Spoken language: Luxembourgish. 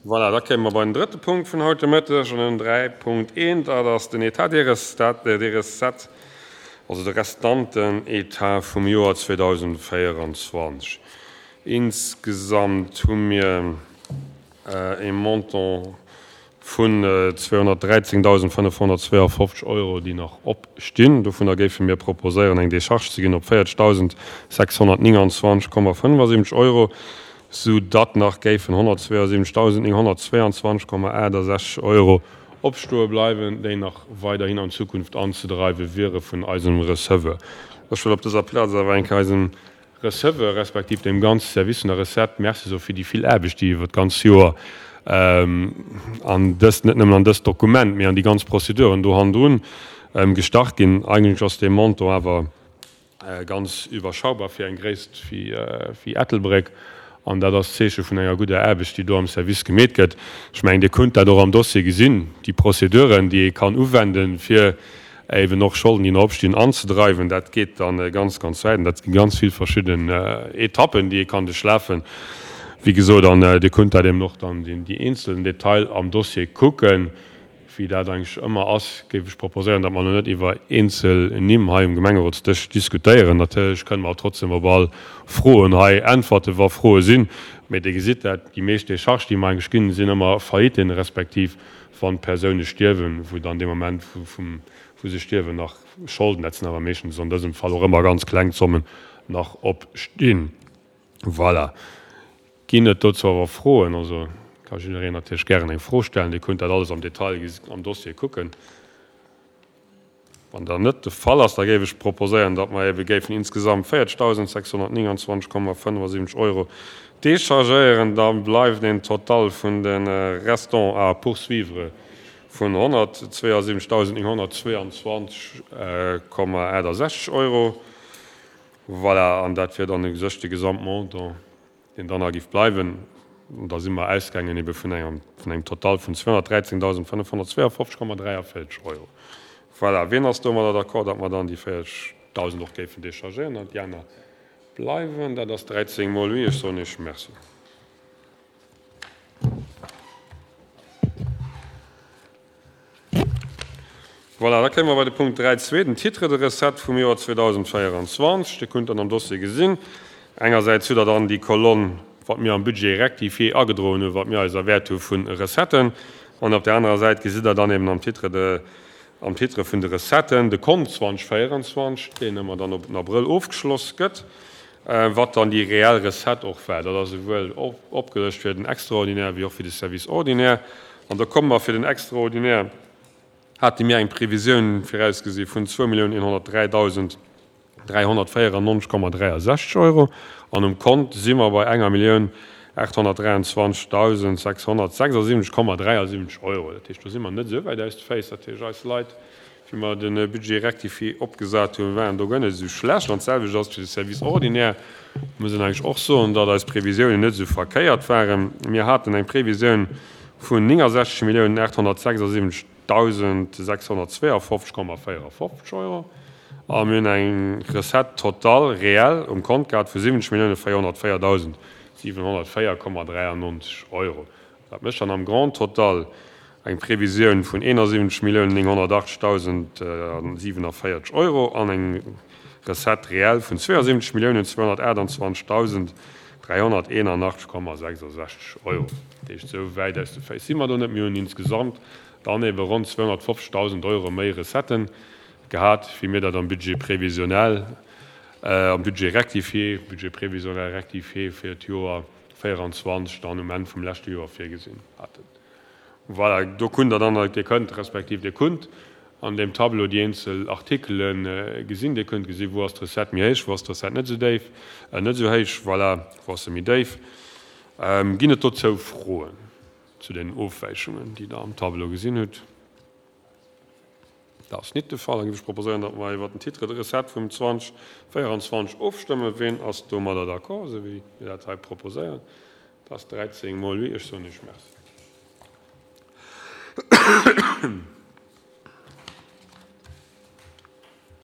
Voilà, da kéime mer bei den drëtte Punkt vun haut de Mëtteg, an den 3.1, dat ass den État des recettes, also de restanten État vum Joer 2024. Insgesamt hu mir e Montant vun 213.552 Euro, déi nach opstinn. Dovunner géife mir proposéieren, eng Decharge ze ginn op 40.629,75 Euro, sou datt nach géifen 172.922,68 Euro opstoe bleiwen, déi nach weiderhin an Zukunft anzedreiwe wiere vun eisem Receveur. Ech wëll op dëser Plaz awer eng Kéier eisem Receveur, respektiv dem ganze Service vun der Recette Merci soe fir déi vill Aarbecht, déi iwwer d'ganz Joer an dëst, net nëmmen an dëst Dokument, mee an déi ganz Prozeduren do hannendrun gestach ginn. Eigentlech ass dee Montant awer ganz iwwerschaubar fir eng Gréisst wéi Ettelbréck an dat ass d'Zeeche vun enger gudder Aarbecht, déi do am Service gemeet gëtt. Ech mengen, Dir kunnt dat och am Dossier gesinn, déi Prozeduren, déi ee kann uwenden, fir Eben och Scholden, déi nach opstinn, anzedreiwen, dat geet dann ganz, ganz wäit an dat gi ganz vill verschidden Etappen, déi ee kann duerchlafen, wéi gesot. An Dir kunnt dat eben och dann déi eenzelnen Detail am Dossier kucken. Wéi dat eigentlech ëmmer ass, géif ech proposéieren, datt mer elo net iwwer eenzel Nimm hei um Gemengerotsdësch diskutéieren. Natierlech kënne mer trotzdem op all Froen hei äntwerten, wa Froe sinn. Mee Dir gesitt dat, déi meescht Décharges, déi mer eigentlech ginn, sinn ëmmer Failliten, respektiv wann d'Persoune stierwen, wou dann dee Moment wou se stierwen nach Scholden, dat sinn awer meeschtens an dësem Fall och ëmmer ganz kleng Zommen, nach opstinn. Voilà. Ginn et dozou awer Froen? Also ka jiddereen natierlech gären eng Fro stellen. Dir kunnt dat alles am Detail am Dossier kucken. Wann dat net de Fall ass, da géif ech proposéieren, datt mer ebe géifen insgesamt 40.629,75 Euro déchargéieren. Da bleift een Total vun de Restants à poursuivre vun 172.922,68 Euro. Voilà, an dat wier dann u sech de Gesamtmontant. deen dann nach géif bleiwen, an da si mer ausgaangen ebe vun engem, vun engem Total vun 213.552,43 Euro. Voilà, wien ass domadder d'accord, datt mer dann déi 40.000 och géifen déchargéieren an déi aner bleiwen? Dat ass 13 mol oui. Ech soen Iech Merci. Voilà, da kéime mer bei de Punkt 3.2, den Titre de recette vum Joer 2024. Dir kunnt dann am Dossier gesinn, engersäits hutt Der dann déi Kolonn, wat mir am Budget rectifié agedroen hunn, wat mir eis erwäert hu vu Recetten, an op där anerer Säit gesitt Der dann eben am Titre de, am Titre vun de Recetten de Kont 2024, deen ëmmer dann op den Abrëll ofgeschloss gëtt, wat dann déi reell Recette och war. Dat ass esouwuel opgelëscht fir den Extraordinaire wéi och fir de Service ordinaire. An da komme mer fir den Extraordinaire, hate mir eng Previsioun virausgesi vun 2.103.394,63 Euro an um Kont si mer bei enger 1.823.676,73 Euro. Dat heescht, do si mer net esou wäit aus de Féiss. Dat heescht, eis Leit, wéi mer de Budget rectifié opgesat hunn, waren do guer net esou schlecht. An d'selwecht ass et fir de Service ordinaire. Muss een eigentlech och soen, datt eis Previsiounen net esou verkéiert waren. Mir haten eng Previsioun vun 69.876.652,54 Euro a mir hunn eng Recette totale réelle um Kont gehat vu 70.404.704,93 Euro. Dat mécht dann am Grand total eng Previsioun vun 71.980.047 Euro an eng Recette réelle vun 72.228.381,66 Euro. Dat heescht, esou wäit aus de Féiss si mer do net. Mir hunn insgesamt dann ebe ronn 250.000 Euro méi Recetten gehat, wéi mir dat am Budget prévisionnel, am Budget rectifié, Budget prévisionnel rectifié fir d'Joer 24 dann um Enn vum leschte Joer virgesinn haten. Voilà, do kunnt Der dann, Dir kënnt, respektiv Dir kunnt an deem Tableau déi eenzel Artikele gesinn. Dir kënnt gesinn, wou ass d'Recette méi héich, wou ass d'Recette net esou déif, net esou héich, voilà, wou ass se méi déif. Ginn et dozou Froen zu den Ofwäichungen, déi Der am Tableau gesinn hutt? Dat ass nit de Fall. Da géif ech proposéieren, datt mer iwwert den Titre de recette vum 2024 ofstëmmen. Ween ass domadder d'accord, esou wéi mir dat hei proposéieren? Dat ass 13 mol oui. Ech soen Iech Merci.